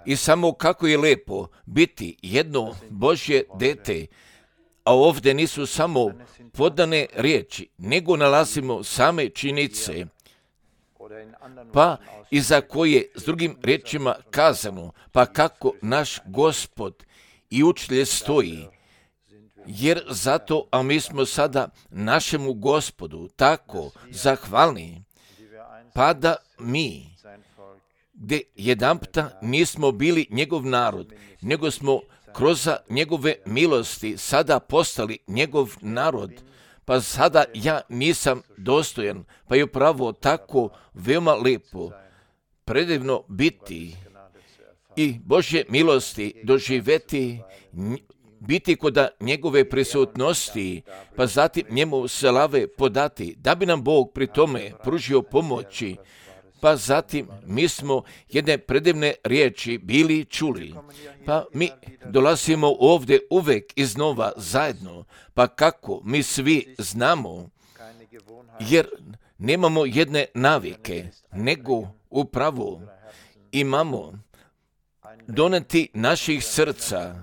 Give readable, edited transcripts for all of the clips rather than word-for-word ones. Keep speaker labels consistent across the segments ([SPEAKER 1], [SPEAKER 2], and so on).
[SPEAKER 1] I samo kako je lepo biti jedno Božje dete, a ovdje nisu samo podane riječi, nego nalazimo same činjenice, pa i za koje s drugim riječima kazano, pa kako naš Gospod i učitelj stoji, jer zato, a mi smo sada našemu Gospodu tako zahvalni, pa da mi, gdje jedanputa nismo bili njegov narod, nego smo kroz njegove milosti sada postali njegov narod, pa sada ja nisam dostojan, pa je upravo tako veoma lepo, predivno biti i Božje milosti doživjeti, biti kod njegove prisutnosti, pa zatim njemu slave podati, da bi nam Bog pri tome pružio pomoći, pa zatim mi smo jedne predivne riječi bili čuli, pa mi dolazimo ovdje uvek iznova zajedno, pa kako mi svi znamo, jer nemamo jedne navike, nego upravo imamo doneti naših srca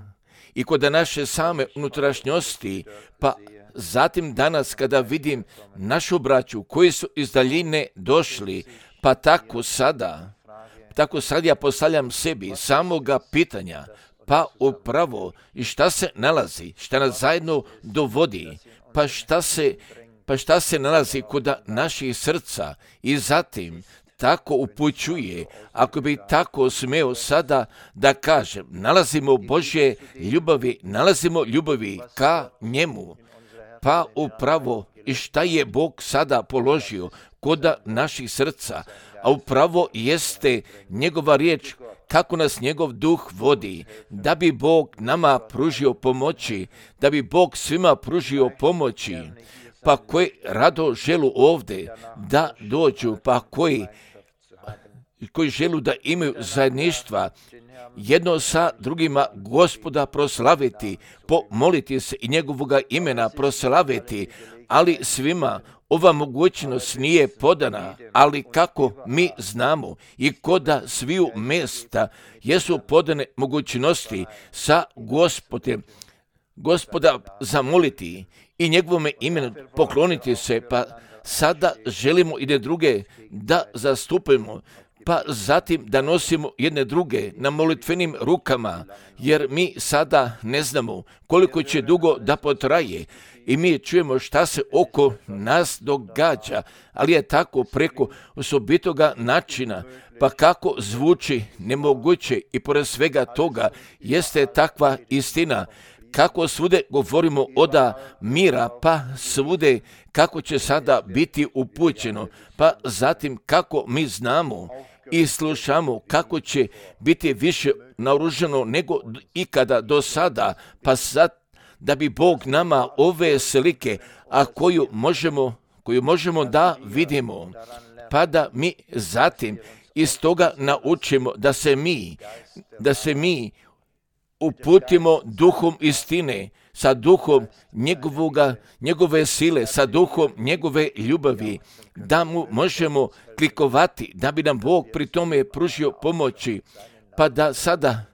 [SPEAKER 1] i kod naše same unutrašnjosti, pa zatim danas kada vidim našu braću koji su iz daljine došli, pa tako sad ja postavljam sebi samoga pitanja, pa upravo i šta se nalazi, šta nas zajedno dovodi, pa šta se nalazi kod naših srca i zatim tako upućuje, ako bi tako smeo sada da kažem, nalazimo Božje ljubavi, nalazimo ljubavi ka njemu, pa upravo i šta je Bog sada položio kod naših srca, a upravo jeste njegova riječ, kako nas njegov duh vodi, da bi Bog nama pružio pomoći, da bi Bog svima pružio pomoći, pa koji rado želu ovdje da dođu, pa koji želu da imaju zajedništva, jedno sa drugima Gospoda proslaviti, pomoliti se i njegovoga imena proslaviti, ali svima ova mogućnost nije podana, ali kako mi znamo i koda sviju mjesta jesu podane mogućnosti sa Gospoda zamoliti i njegovome imenu pokloniti se, pa sada želimo jedne druge da zastupimo, pa zatim da nosimo jedne druge na molitvenim rukama, jer mi sada ne znamo koliko će dugo da potraje i mi čujemo šta se oko nas događa, ali je tako preko osobitoga načina, pa kako zvuči nemoguće i pored svega toga jeste takva istina, kako svude govorimo oda mira, pa svude kako će sada biti upućeno, pa zatim kako mi znamo i slušamo kako će biti više naoružano nego ikada do sada, pa sad da bi Bog nama ove slike, a koju možemo da vidimo, pa da mi zatim iz toga naučimo da se mi uputimo duhom istine, sa duhom njegove sile, sa duhom njegove ljubavi, da mu možemo klikovati, da bi nam Bog pri tome pružio pomoći, pa da sada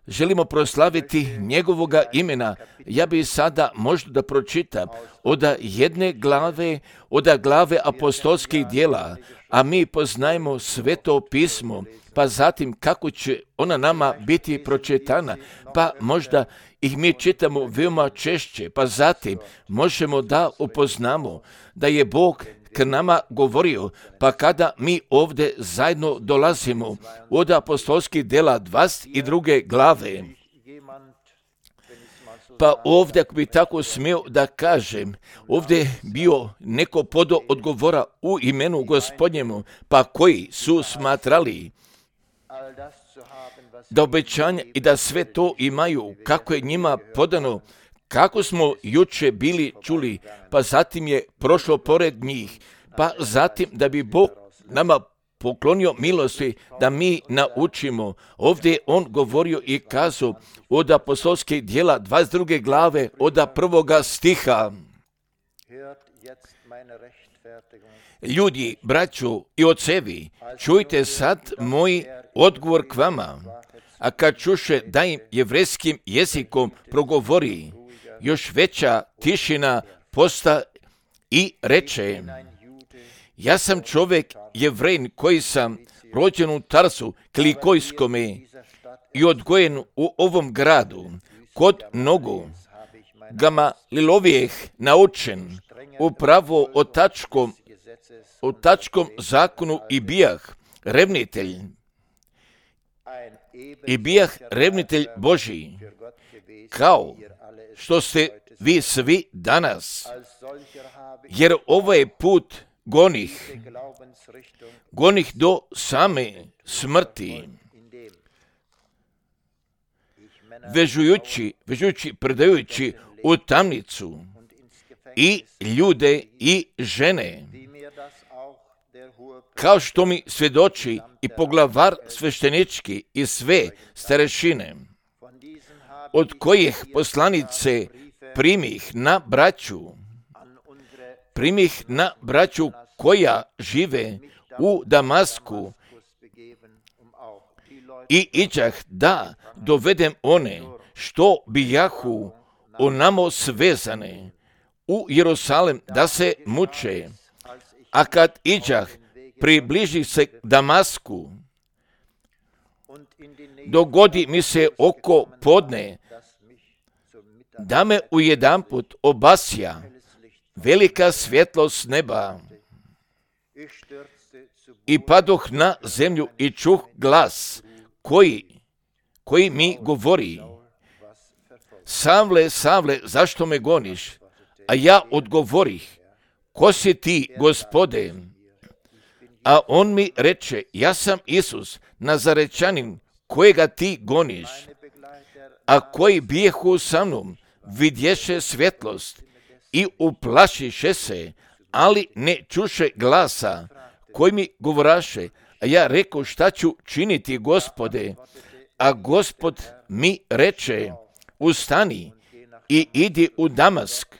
[SPEAKER 1] želimo proslaviti njegovoga imena. Ja bih sada možda da pročitam od jedne glave, od glave apostolskih djela, a mi poznajemo Sveto pismo, pa zatim kako će ona nama biti pročitana, pa možda ih mi čitamo veoma češće, pa zatim možemo da upoznamo da je Bog k nama govorio, pa kada mi ovdje zajedno dolazimo od apostolskih djela 22. glave, pa ovdje, ako bi tako smio da kažem, ovdje je bio neko podo odgovora u imenu Gospodnjemu, pa koji su smatrali da obećanja i da sve to imaju, kako je njima podano, kako smo juče bili čuli, pa zatim je prošlo pored njih, pa zatim da bi Bog nama poklonio milosti da mi naučimo. Ovdje je on govorio i kazao od apostolskih djela 22. glave od 1. stiha. Ljudi, braćo i ocevi, čujte sad moj odgovor k vama. A kad čuše da im jevrejskim jezikom progovori, još veća tišina posta i reče: ja sam čovjek Jevrejin koji sam rođen u Tarsu Kilikijskome i odgojen u ovom gradu, kod nogu Gamalilovijeh naučen upravo o tačkom zakonu i bijah revnitelj Božji, kao što ste vi svi danas, jer ovaj put gonih do same smrti, vežujući, predajući u tamnicu i ljude i žene, kao što mi svjedoči i poglavar sveštenički i sve starešine, od kojih poslanice primih na braću koja žive u Damasku i iđah da dovedem one što bijahu onamo svezane u Jerusalem da se muče. A kad iđah, približi se Damasku, dogodi mi se oko podne, da me ujedanput obasja velika svjetlost neba. I padoh na zemlju i čuh glas koji mi govori: Savle, Savle, zašto me goniš? A ja odgovorih: ko si ti, Gospode? A on mi reče: ja sam Isus, Nazarečanin, kojega ti goniš. A koji bijehu sa mnom, vidješe svjetlost i uplašiše se, ali ne čuše glasa koji mi govoraše. A ja reko: šta ću činiti, Gospode? A Gospod mi reče: ustani i idi u Damask,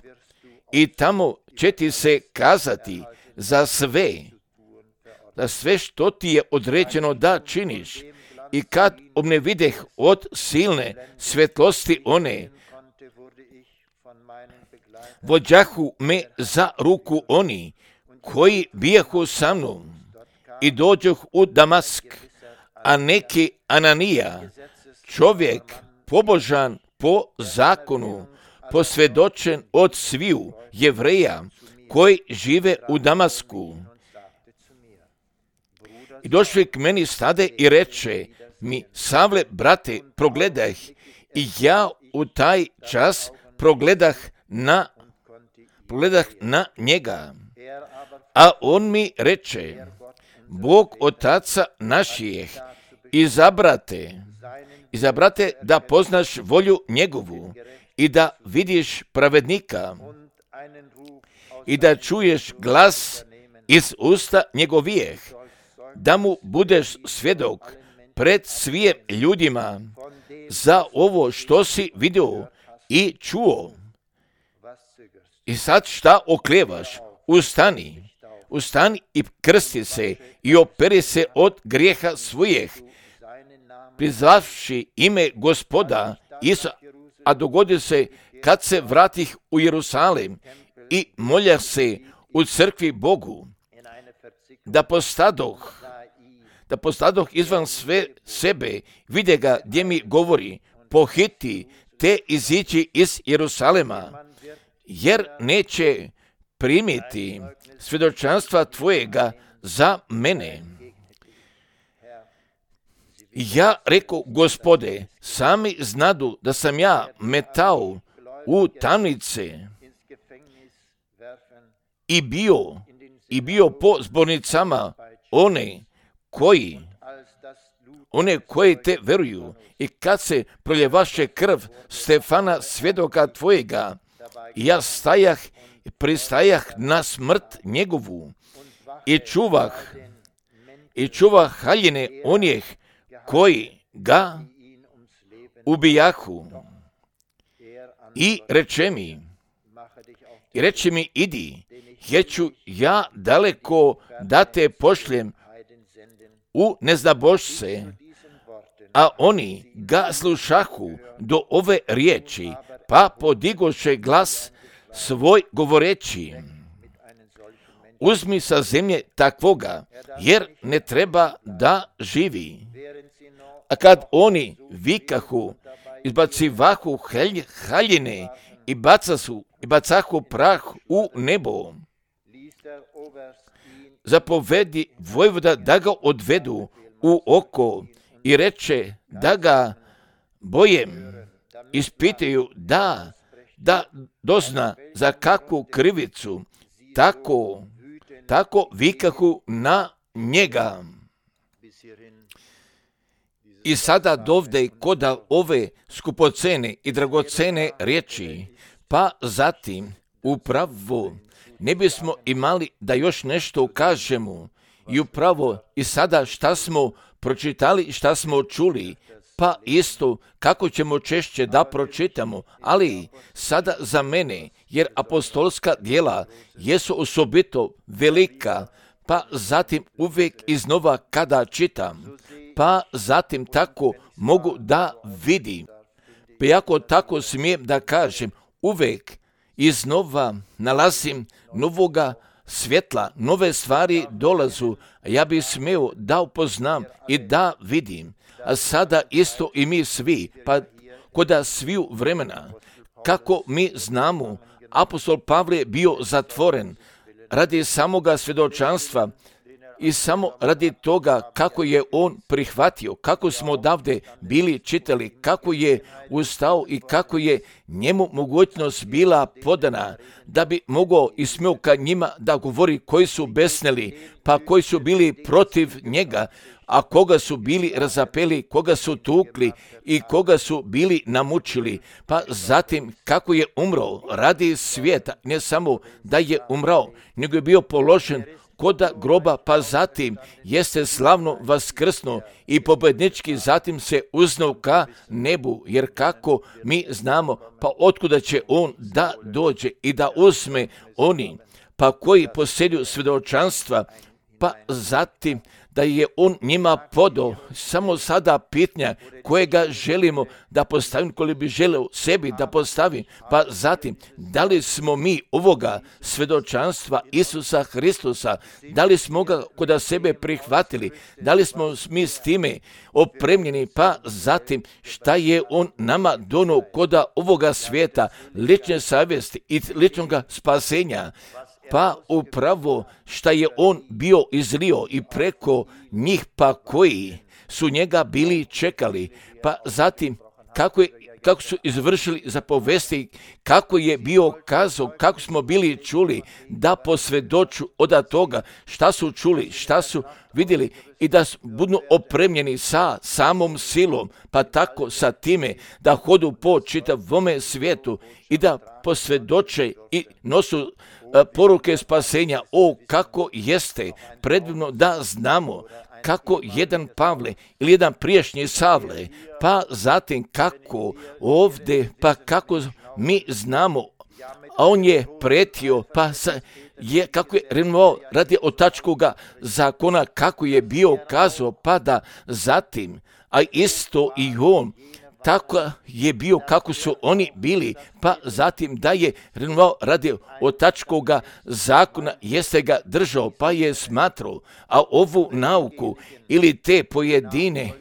[SPEAKER 1] i tamo će ti se kazati za sve što ti je određeno da činiš. I kad ne videh od silne svjetlosti one, vođahu me za ruku oni koji bijahu sa mnom i dođoh u Damask, a neki Ananija, čovjek pobožan po zakonu, posvjedočen od sviju Jevreja koji žive u Damasku. I došli k meni stade i reče mi: Savle, brate, progledah. I ja u taj čas progledah na njega. A on mi reče: Bog otaca našijeh, izabrate da poznaš volju njegovu i da vidiš pravednika i da čuješ glas iz usta njegovijeh, da mu budeš svjedok pred svim ljudima za ovo što si vidio i čuo. I sad šta oklevaš? Ustani i krsti se i operi se od grijeha svojih, prizvavši ime Gospoda Isusa. A dogodi se kad se vratih u Jerusalim i molja se u crkvi Bogu, da postadoh izvan sve sebe, vide ga gdje mi govori: pohiti te izići iz Jerusalema, jer neće primiti svjedočanstva tvojega za mene. Ja reko: Gospode, sami znadu da sam ja metao u tamnice i bio po zbornicama one koji te veruju. I kad se proljevaše krv Stefana, svjedoka tvojega, ja pristajah na smrt njegovu i čuvah haljine onih koji ga ubijahu. I reče mi: idi, jer ću ja daleko da te pošljem u neznabošce, a oni ga slušahu do ove riječi, pa podigoše glas svoj govoreći, uzmi sa zemlje takvoga, jer ne treba da živi. A kad oni vikahu, izbacivahu haljine i bacahu prah u nebo, zapovedi vojvoda da ga odvedu u oko i reče da ga bojem ispitaju da dozna za kakvu krivicu, tako vikahu na njega. I sada dovde koda ove skupocene i dragocene riječi, pa zatim upravo ne bismo imali da još nešto kažemo i upravo i sada šta smo pročitali, šta smo čuli, pa isto kako ćemo češće da pročitamo, ali sada za mene, jer apostolska djela jesu osobito velika, pa zatim uvijek iznova kada čitam, pa zatim tako mogu da vidim, pa jako tako smijem da kažem, uvijek iznova nalazim novoga svjetla, nove stvari dolazu, a ja bih smio da upoznam i da vidim. A sada isto i mi svi, pa koda sviju vremena, kako mi znamo, apostol Pavle je bio zatvoren radi samoga svjedočanstva i samo radi toga kako je on prihvatio, kako smo odavde bili čitali, kako je ustao i kako je njemu mogućnost bila podana da bi mogao i smio ka njima da govori koji su besneli, pa koji su bili protiv njega, a koga su bili razapeli, koga su tukli i koga su bili namučili, pa zatim kako je umro radi svijeta, ne samo da je umrao, nego je bio položen koda groba, pa zatim jeste slavno vaskrsno i pobjednički zatim se uznao ka nebu, jer kako mi znamo, pa otkuda će on da dođe i da uzme oni, pa koji posjeduju svjedočanstva, pa zatim da je on njima podao. Samo sada pitanja kojega želimo da postavim, koji bi želeo sebi da postavim, pa zatim da li smo mi ovoga svjedočanstva Isusa Hristusa, da li smo ga kod sebe prihvatili, da li smo mi s time opremljeni, pa zatim šta je on nama donio kod ovoga svijeta, lične savjesti i ličnog spasenja, pa upravo šta je on bio izlio i preko njih, pa koji su njega bili čekali, pa zatim kako su izvršili zapovesti, kako je bio kazao, kako smo bili čuli da posvjedoču od toga šta su čuli, šta su vidjeli i da budu opremljeni sa samom silom, pa tako sa time da hodu po čitavome svijetu i da posvjedoče i nosu poruke spasenja. O, kako jeste predivno da znamo kako jedan Pavle ili jedan prijašnji Savle, pa zatim kako ovdje, pa kako mi znamo, a on je pretio, pa kako je renovao radi otačkoga zakona, kako je bio kazao, pa da zatim, a isto i on, tako je bio kako su oni bili, pa zatim da je renovao radi otačkoga zakona, jeste ga držao, pa je smatrao, a ovu nauku ili te pojedine,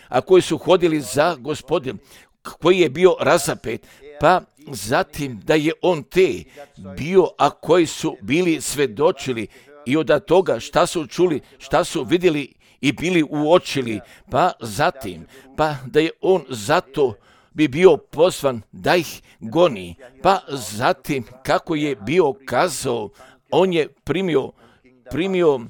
[SPEAKER 1] a koji su hodili za Gospodin, koji je bio razapet, pa zatim da je on te bio, a koji su bili svedočili i od toga šta su čuli, šta su vidjeli i bili uočili, pa zatim, pa da je on zato bi bio pozvan da ih goni, pa zatim kako je bio kazao, on je primio,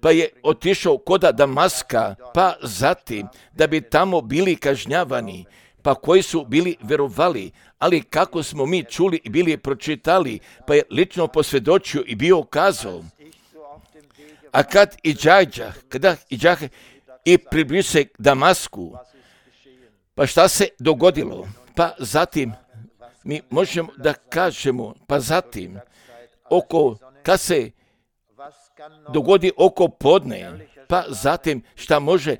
[SPEAKER 1] pa je otišao koda Damaska, pa zatim da bi tamo bili kažnjavani, pa koji su bili verovali, ali kako smo mi čuli i bili pročitali, pa je lično posvjedočio i bio kazao. A kad iđahe i približi se Damasku, pa šta se dogodilo? Pa zatim mi možemo da kažemo, pa zatim kad se dogodi oko podne, pa zatim šta može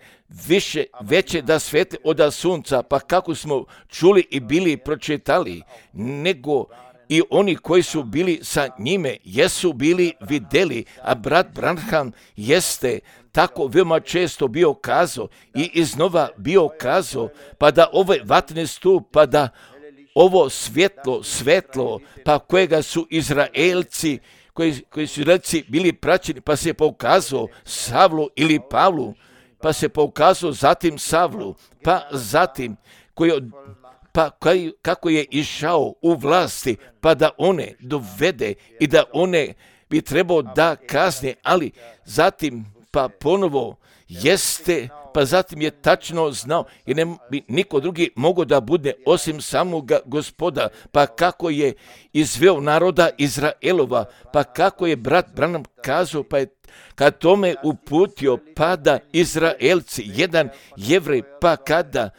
[SPEAKER 1] veće da svetli od sunca, pa kako smo čuli i bili pročitali, nego i oni koji su bili sa njime, jesu bili vidjeli, a brat Branham jeste tako veoma često bio kazao i iznova bio kazao, pa da ovaj vatreni stup, pa da ovo svetlo, pa kojega su Izraelci, koji su Izraelci bili praćeni, pa se pokazao Savlu ili Pavlu, pa se pokazao zatim Savlu, pa zatim kako je išao u vlasti, pa da one dovede i da one bi trebao da kazne, ali zatim pa ponovo jeste, pa zatim je tačno znao i ne bi niko drugi mogao da bude osim samoga Gospoda, pa kako je izveo naroda Izraelova, pa kako je brat Branham kazao, pa je kad tome uputio, pa da Izraelci, jedan Jevrej, pa kada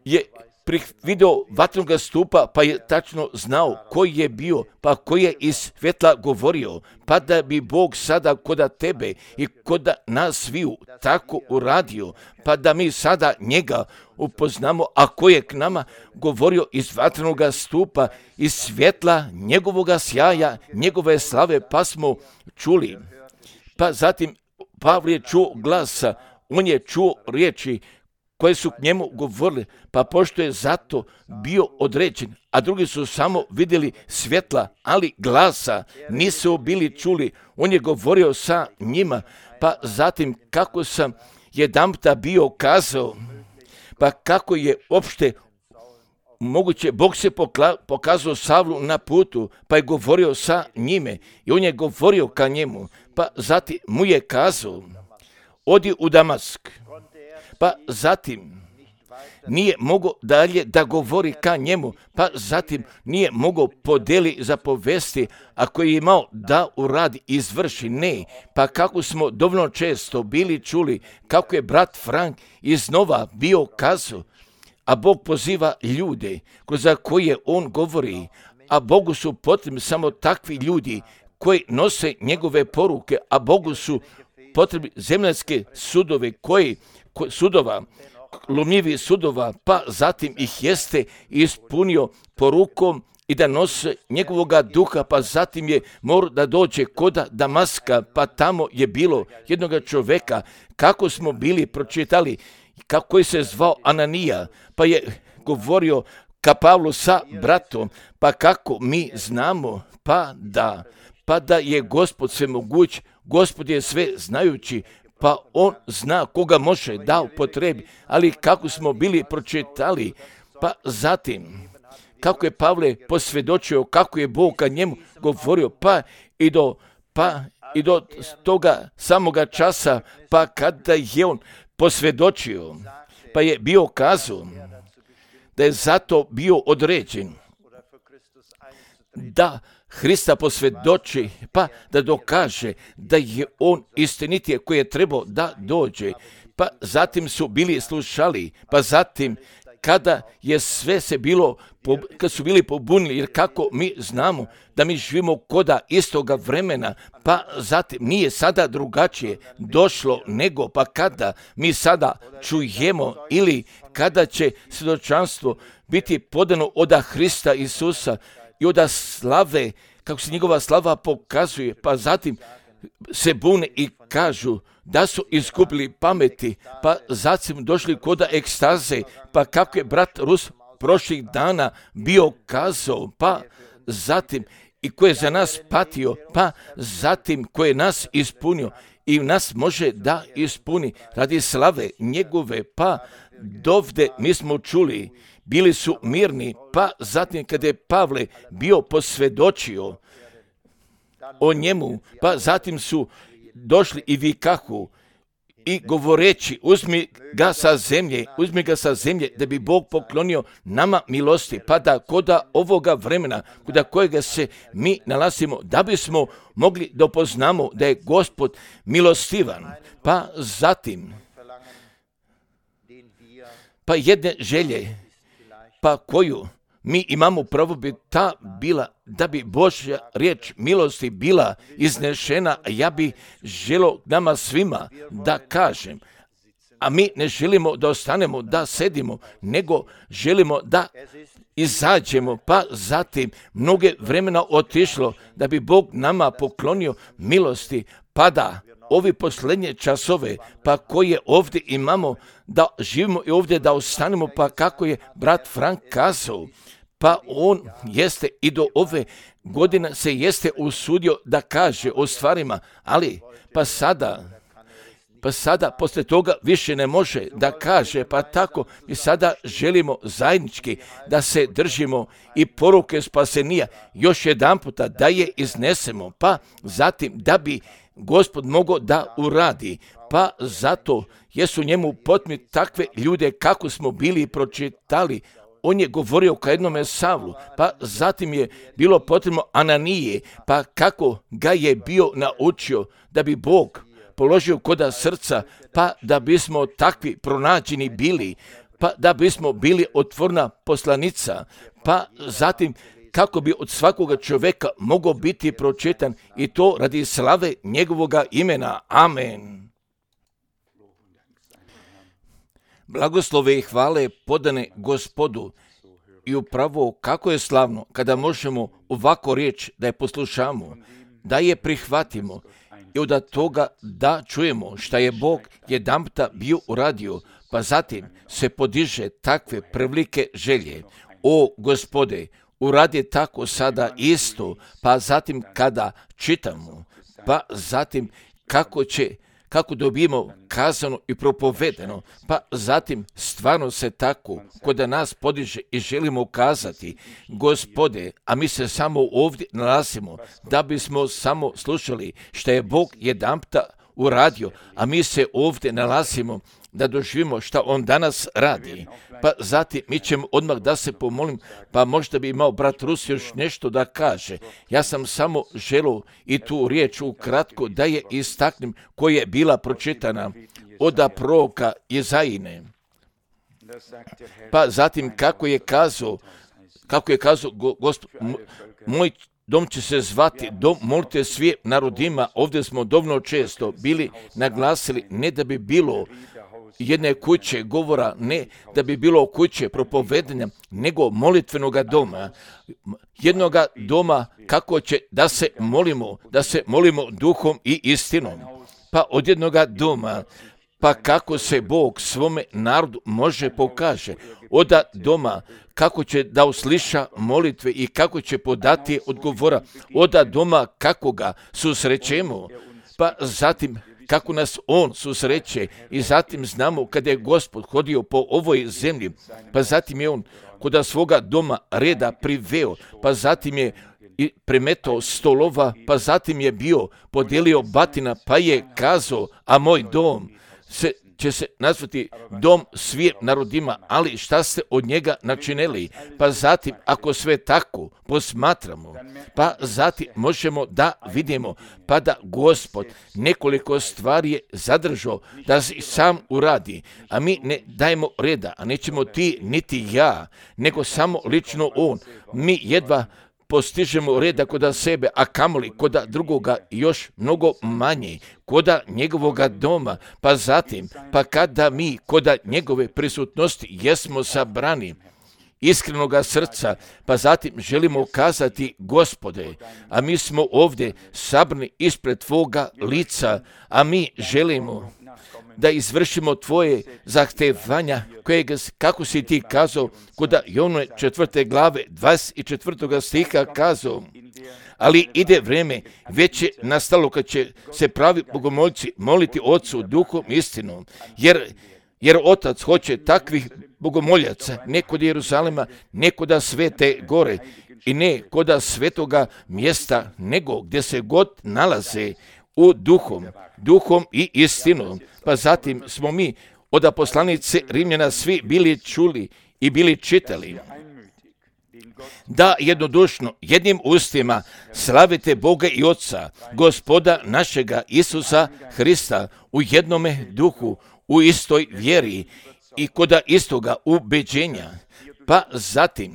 [SPEAKER 1] je vidio vatrenog stupa, pa je tačno znao koji je bio, pa koji je iz svetla govorio, pa da bi Bog sada koda tebe i koda nas sviju tako uradio, pa da mi sada njega upoznamo, a koji je k nama govorio iz vatrenog stupa, iz svjetla njegovoga sjaja, njegove slave, pa smo čuli. Pa zatim Pavle je čuo glasa, on je čuo riječi koje su k njemu govorili, pa pošto je zato bio određen, a drugi su samo vidjeli svjetla, ali glasa nisu bili čuli, on je govorio sa njima, pa zatim kako sam jedanputa bio kazao, pa kako je opšte moguće, Bog se pokazao Savlu na putu, pa je govorio sa njime i on je govorio ka njemu, pa zatim mu je kazao, odi u Damask. Pa zatim nije mogao dalje da govori ka njemu, pa zatim nije mogao podeli zapovesti, ako je imao da uradi, izvrši, ne. Pa kako smo dovoljno često bili čuli, kako je brat Frank iznova bio kazao, a Bog poziva ljude kroz koje on govori, a Bogu su potrebni samo takvi ljudi koji nose njegove poruke, a Bogu su potrebni zemaljske sudove lomljivi sudova, pa zatim ih jeste ispunio porukom i da nose njegovoga duha, pa zatim je morao da dođe koda Damaska, pa tamo je bilo jednoga čoveka, kako smo bili pročitali, kako je se zvao Ananija, pa je govorio ka Pavlu sa bratom, pa kako mi znamo, pa da je Gospod svemoguć, Gospod je sve znajući, pa on zna koga može da upotrebi, ali kako smo bili pročitali, pa zatim kako je Pavle posvjedočio, kako je Bog ka njemu govorio, pa i do toga samoga časa, pa kada je on posvjedočio, pa je bio kazao da je zato bio određen da Hrista posvjedoči, pa da dokaže da je on istinitije koji je trebao da dođe, pa zatim su bili slušali, pa zatim kada je sve se bilo, kad su bili pobunili, jer kako mi znamo da mi živimo koda istoga vremena, pa zatim nije sada drugačije došlo nego, pa kada mi sada čujemo ili kada će svjedočanstvo biti podano od Hrista Isusa i od slave, kako se njegova slava pokazuje, pa zatim se bune i kažu da su izgubili pameti, pa zatim došli koda ekstaze, pa kako je brat Rus prošlih dana bio kazao, pa zatim i ko je za nas patio, pa zatim ko je nas ispunio i nas može da ispuni radi slave njegove, pa dovde mi smo čuli, bili su mirni, pa zatim kada je Pavle bio posvjedočio o njemu, pa zatim su došli i vikahu i govoreći, uzmi ga sa zemlje da bi Bog poklonio nama milosti, pa da koda ovoga vremena, koda kojega se mi nalazimo, da bismo mogli da poznamo da je Gospod milostivan, pa zatim pa jedne želje, pa koju mi imamo pravo bi ta bila, da bi Božja riječ milosti bila iznešena, a ja bi želio nama svima da kažem, a mi ne želimo da ostanemo, da sedimo, nego želimo da izađemo, pa zatim mnoge vremena otišlo da bi Bog nama poklonio milosti, pa da ovi posljednje časove, pa koje ovdje imamo, da živimo i ovdje da ostanemo, pa kako je brat Frank kazao, pa on jeste i do ove godine se jeste usudio da kaže o stvarima, ali pa sada poslije toga više ne može da kaže, pa tako mi sada želimo zajednički da se držimo i poruke spasenija još jedan puta da je iznesemo, pa zatim da bi Gospod mogao da uradi, pa zato jesu njemu potrebni takve ljude kako smo bili pročitali. On je govorio ka jednome Savlu, pa zatim je bilo potrebno Ananije, pa kako ga je bio naučio da bi Bog položio koda srca, pa da bismo takvi pronađeni bili, pa da bismo bili otvorna poslanica, pa zatim kako bi od svakoga čovjeka mogao biti pročitan i to radi slave njegovoga imena. Amen. Blagoslove i hvale podane Gospodu i upravo kako je slavno kada možemo ovako riječ da je poslušamo, da je prihvatimo i od toga da čujemo šta je Bog jedanputa bio uradio, pa zatim se podiže takve prevlike želje. O Gospode, uradi tako sada isto, pa zatim kada čitamo, pa zatim kako dobijemo kazano i propovedeno, pa zatim stvarno se tako kod nas podiže i želimo kazati, Gospode, a mi se samo ovdje nalazimo da bismo samo slušali što je Bog jedanputa uradio, a mi se ovdje nalazimo da doživimo šta on danas radi. Pa zatim mi ćemo odmah da se pomolim, pa možda bi imao brat Rus još nešto da kaže. Ja sam samo želio i tu riječ ukratko da je istaknem koja je bila pročitana od proroka Jezajine. Pa zatim kako je kazao Gospod, moj dom će se zvati dom molite svim narodima. Ovdje smo dovoljno često bili naglasili, ne da bi bilo jedne kuće govora, ne da bi bilo kuće propovedanja, nego molitvenoga doma. Jednoga doma kako će da se molimo duhom i istinom. Pa od jednoga doma, pa kako se Bog svome narodu može pokaže. Od doma kako će da usliša molitve i kako će podati odgovora. Od doma kako ga susrećemo, pa zatim kako nas on susreće i zatim znamo kada je Gospod hodio po ovoj zemlji, pa zatim je on kod svoga doma reda priveo, pa zatim je i premetao stolova, pa zatim je bio podijelio batina, pa je kazao, a moj dom će se nazvati dom svim narodima, ali šta ste od njega načinili? Pa zatim, ako sve tako posmatramo, pa zatim možemo da vidimo, pa da Gospod nekoliko stvari je zadržao da se sam uradi, a mi ne dajemo reda, a nećemo ti niti ja, nego samo lično on. Mi jedva postižemo reda koda sebe, a kamoli koda drugoga još mnogo manje, koda njegovoga doma, pa zatim, pa kada mi koda njegove prisutnosti jesmo sabrani iskrenoga srca, pa zatim želimo kazati Gospode, a mi smo ovdje sabrani ispred Tvoga lica, a mi želimo da izvršimo Tvoje zahtevanja, kako si ti kazao kod Jovnove 4. glave 24. stiha kazao, ali ide vreme, već je nastalo kad će se pravi bogomoljci moliti Otcu duhom istinom, jer Otac hoće takvih bogomoljaca, ne kod Jeruzalema, ne kod Svete gore i ne kod svetoga mjesta, nego gdje se god nalaze u duhom i istinom. Pa zatim smo mi od poslanice Rimljana svi bili čuli i bili čitali da jednodušno jednim ustima slavite Boga i Otca, Gospoda našega Isusa Hrista u jednome duhu, u istoj vjeri i kod istoga ubeđenja. Pa zatim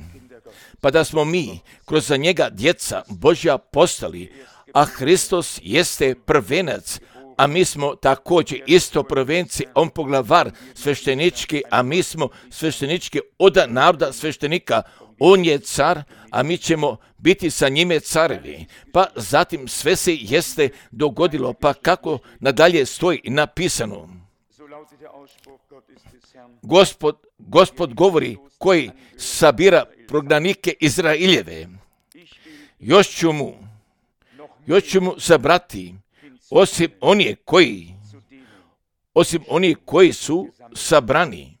[SPEAKER 1] pa da smo mi kroz njega djeca Božja postali, a Hristos jeste prvenac, a mi smo također isto prvenci, on poglavar sveštenički, a mi smo sveštenički od naroda sveštenika. On je car, a mi ćemo biti sa njime carevi. Pa zatim sve se jeste dogodilo, pa kako nadalje stoji napisano. Gospod govori koji sabira prognanike Izraeljeve. Još ću mu zabrati, osim oni koji su sabrani.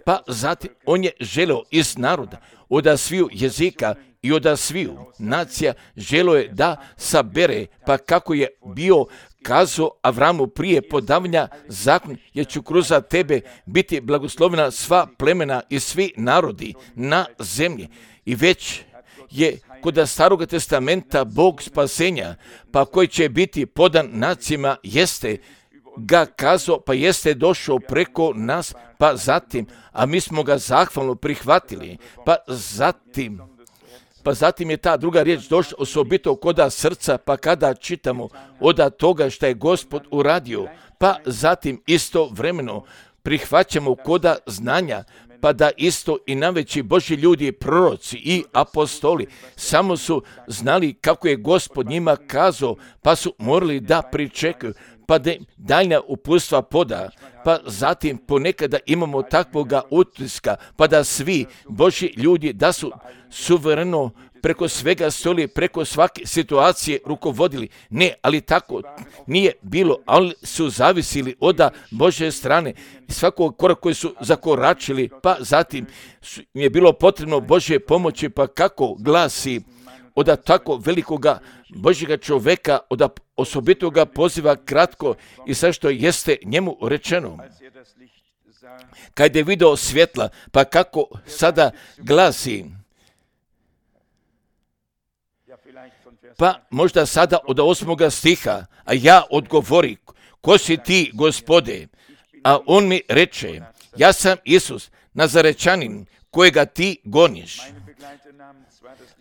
[SPEAKER 1] Pa zatim on je želeo iz naroda, od sviju jezika i od sviju nacija, želeo je da sabere, pa kako je bio kazao Avramu prije podavanja zakon, jer ću kroz tebe biti blagoslovena sva plemena i svi narodi na zemlji. I već je kod Staroga testamenta Bog spasenja, pa koji će biti podan nacijama, jeste ga kazao, pa jeste došao preko nas, pa zatim, a mi smo ga zahvalno prihvatili, pa zatim je ta druga riječ došla osobito koda srca, pa kada čitamo od toga što je Gospod uradio, pa zatim istovremeno prihvaćamo koda znanja, pa da isto i najveći Božji ljudi, proroci i apostoli, samo su znali kako je Gospod njima kazao, pa su morali da pričekaju, pa da daljnja uputstva poda, pa zatim ponekada imamo takvoga utiska, pa da svi Božji ljudi da su suvereno preko svega stoli, preko svake situacije rukovodili. Ne, ali tako nije bilo, ali su zavisili od Božje strane. Svakog koraka koji su zakoračili, pa zatim je bilo potrebno Božje pomoći, pa kako glasi od tako velikoga Božjega čoveka, od osobitoga poziva kratko i sve što jeste njemu rečeno. Kad je video svjetla, pa kako sada glasi, pa možda sada od 8. stiha, a ja odgovori, ko si ti, Gospode? A on mi reče, ja sam Isus, Nazarečanin, kojega ti goniš.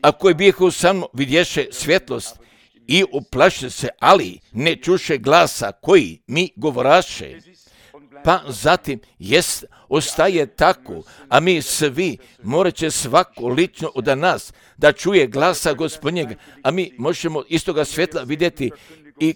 [SPEAKER 1] A koji bijehu sa mnom vidješe svjetlost i uplaše se, ali ne čuše glasa koji mi govoraše. Pa zatim ostaje tako, a mi svi morat će svako lično od nas da čuje glasa Gospodnjega, a mi možemo istoga svjetla vidjeti i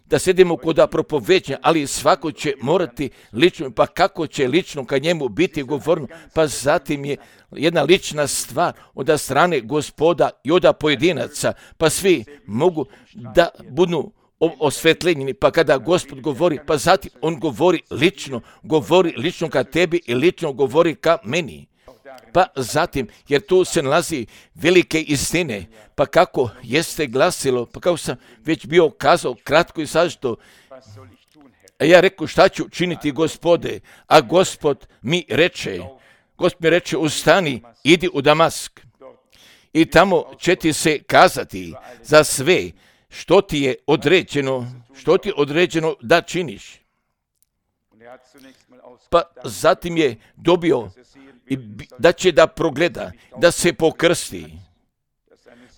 [SPEAKER 1] da sedimo kod propoveđenja, ali svako će morati lično, pa kako će lično kad njemu biti govorno, pa zatim je jedna lična stvar od strane Gospoda i od pojedinaca, pa svi mogu da budu osvetljenjeni, pa kada Gospod govori, pa zatim on govori lično ka tebi i lično govori ka meni. Pa zatim, jer tu se nalazi velike istine, pa kako jeste glasilo, pa kako sam već bio kazao kratko i sažeto, a ja rekao šta ću činiti, Gospode, a Gospod mi reče, ustani, idi u Damask i tamo će ti se kazati za sve što ti je određeno da činiš. Pa zatim je dobio da će da progleda, da se pokrsti,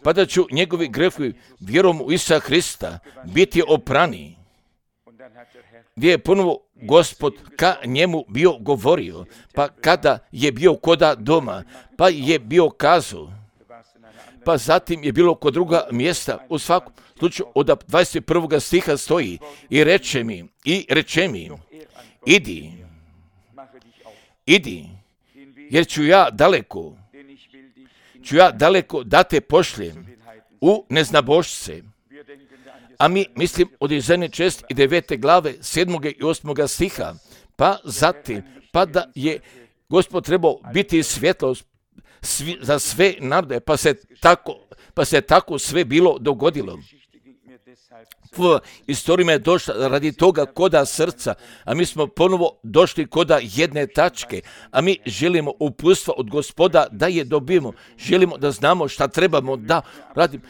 [SPEAKER 1] pa da ću njegovi grehovi vjerom u Isusa Hrista biti oprani. Gdje je ponovo Gospod ka njemu bio govorio, pa kada je bio koda doma, pa je bio kazao, pa zatim je bilo kod druga mjesta, u svakom slučaju od 21. stiha stoji, i reče mi, idi, jer ću ja daleko da te pošljem u neznabošce. A mi mislim od Izaije 6. i 9. glave 7. i 8. stiha, pa zatim, pa da je Gospod trebao biti svjetlost za sve narode, pa se tako sve bilo dogodilo. Istorija je došla radi toga koda srca, a mi smo ponovo došli koda jedne tačke, a mi želimo uputstva od Gospoda da je dobijemo, želimo da znamo šta trebamo da radimo.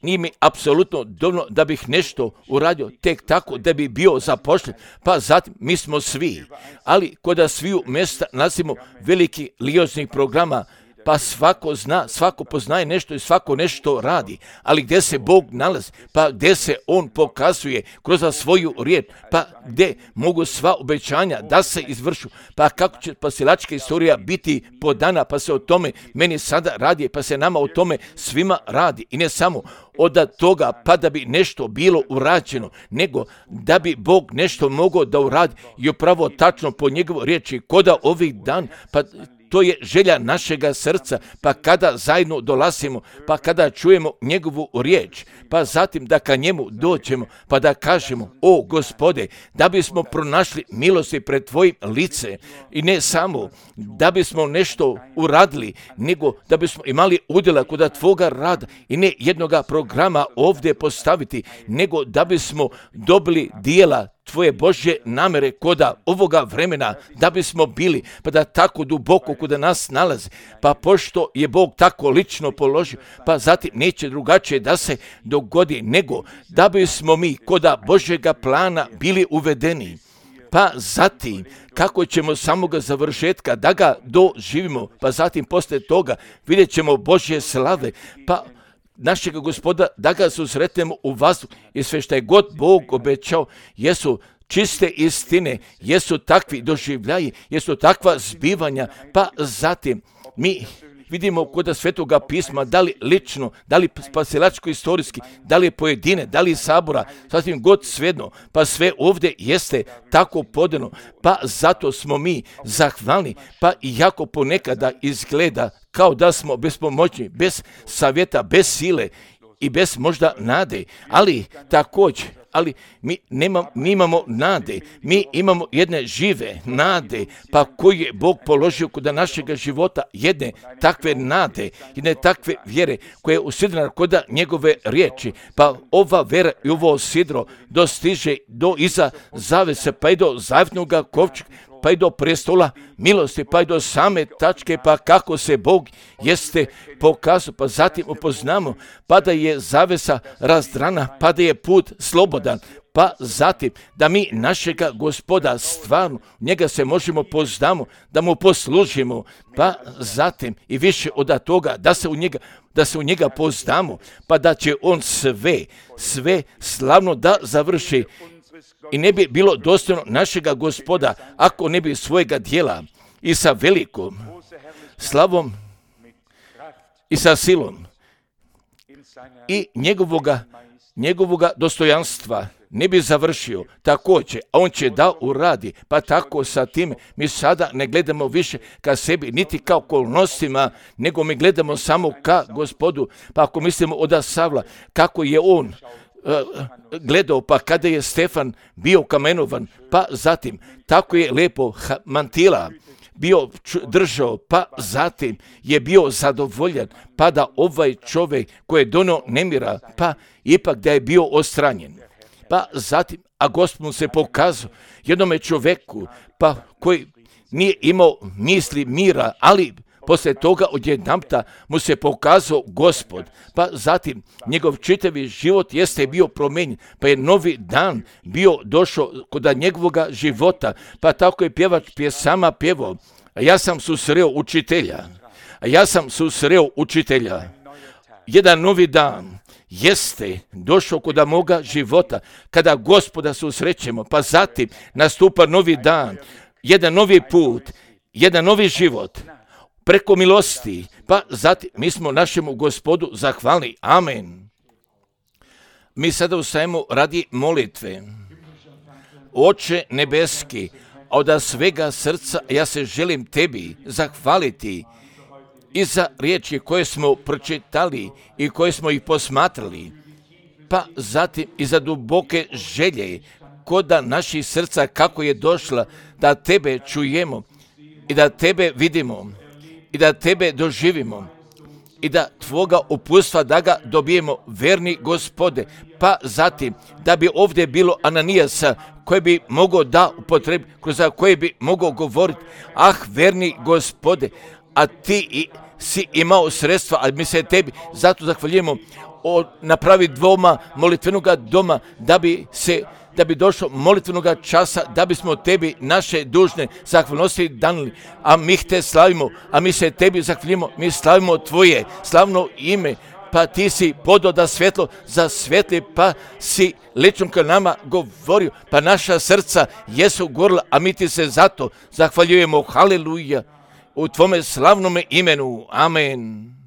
[SPEAKER 1] Nije mi apsolutno dovoljno da bih nešto uradio tek tako da bi bio zapošljen, pa zatim mi smo svi, ali koda sviju mjesta nalazimo veliki lioznih programa, pa svako zna, svako poznaje nešto i svako nešto radi, ali gdje se Bog nalazi, pa gdje se On pokazuje kroz svoju riječ, pa gdje mogu sva obećanja da se izvršu, pa kako će spasilačka istorija biti podana, pa se o tome meni sada radi, pa se nama o tome svima radi i ne samo od toga pa da bi nešto bilo urađeno, nego da bi Bog nešto mogao da uradi i upravo tačno po njegovoj riječi koda ovih dan, pa to je želja našega srca, pa kada zajedno dolazimo, pa kada čujemo njegovu riječ, pa zatim da ka njemu dođemo, pa da kažemo, o Gospode, da bismo pronašli milosti pred tvojim lice i ne samo da bismo nešto uradili, nego da bismo imali udjela kod tvoga rada i ne jednoga programa ovdje postaviti, nego da bismo dobili dijela tvoje Božje namere koda ovoga vremena, da bismo bili, pa da tako duboko koda nas nalazi, pa pošto je Bog tako lično položio, pa zatim neće drugačije da se dogodi, nego da bismo mi koda Božjega plana bili uvedeni. Pa zatim, kako ćemo samoga završetka da ga doživimo, pa zatim posle toga vidjet ćemo Božje slave, pa našega Gospoda da ga susretnemo u vazduhu i sve što je god Bog obećao jesu čiste istine, jesu takvi doživljaji, jesu takva zbivanja, pa zatim mi vidimo kod Svetoga pisma, da li lično, da li spasilačko-istorijski, da li pojedine, da li sabora, sasvim god svejedno, pa sve ovdje jeste tako podano, pa zato smo mi zahvalni, pa iako ponekada izgleda kao da smo bespomoćni, bez savjeta, bez sile i bez možda nade, ali također, mi imamo nade, mi imamo jedne žive nade, pa koji je Bog položio kod našega života, jedne takve nade, jedne takve vjere koje je usidrena kod njegove riječi, pa ova vera i ovo sidro dostiže do iza zavese, pa i do zavjetnoga kovčega, pa i do prestola milosti, pa i do same tačke, pa kako se Bog jeste pokazao, pa zatim upoznamo, pa da je zavesa razdrana, pa da je put slobodan, pa zatim da mi našega Gospoda stvarno, njega se možemo poznamo, da mu poslužimo, pa zatim i više od toga da se u njega poznamo, pa da će on sve slavno da završi. I ne bi bilo dostojno našega Gospoda ako ne bi svojega dijela i sa velikom slavom i sa silom i njegovoga dostojanstva ne bi završio također, a on će da uradi, pa tako sa tim mi sada ne gledamo više ka sebi, niti kao okolnostima, nego mi gledamo samo ka Gospodu, pa ako mislimo od Savla, kako je on gledao, pa kada je Stefan bio kamenovan, pa zatim tako je lepo mantila bio držao, pa zatim je bio zadovoljan, pa da ovaj čovjek koji je donio nemira, pa ipak da je bio odstranjen. Pa zatim, a Gospod mu se pokazao jednome čovjeku, pa koji nije imao misli mira, ali poslije toga odjedanputa mu se pokazao Gospod, pa zatim njegov čitavi život jeste bio promijenjen, pa je novi dan bio došao kod njegovoga života, pa tako je pjevač pjesama pjevao, ja sam susreo učitelja, jedan novi dan jeste došao kod moga života, kada Gospoda susrećemo, pa zatim nastupa novi dan, jedan novi put, jedan novi život, preko milosti, pa zatim mi smo našemu Gospodu zahvalni. Amen. Mi sada ustajemo radi molitve. Oče nebeski, od svega srca ja se želim tebi zahvaliti i za riječi koje smo pročitali i koje smo ih posmatrali, pa zatim i za duboke želje kod naših srca kako je došla da tebe čujemo i da tebe vidimo i da tebe doživimo i da tvoga uputstva da ga dobijemo, verni Gospode. Pa zatim, da bi ovdje bilo Ananijasa koji bi mogao da upotrebi, kroz koje bi mogao govoriti, verni Gospode, a ti si imao sredstva, a mi se tebi zato zahvaljujemo, napravi dvoma molitvenoga doma, da bi došlo molitvenoga časa, da bismo tebi naše dužne zahvalnosti danili, a mi te slavimo, a mi se tebi zahvaljujemo, mi slavimo tvoje slavno ime, pa ti si podao da svjetlo za svijetli, pa si lično ka nama govorio, pa naša srca jesu gorila, a mi ti se zato zahvaljujemo, haleluja, u tvome slavnome imenu, amen.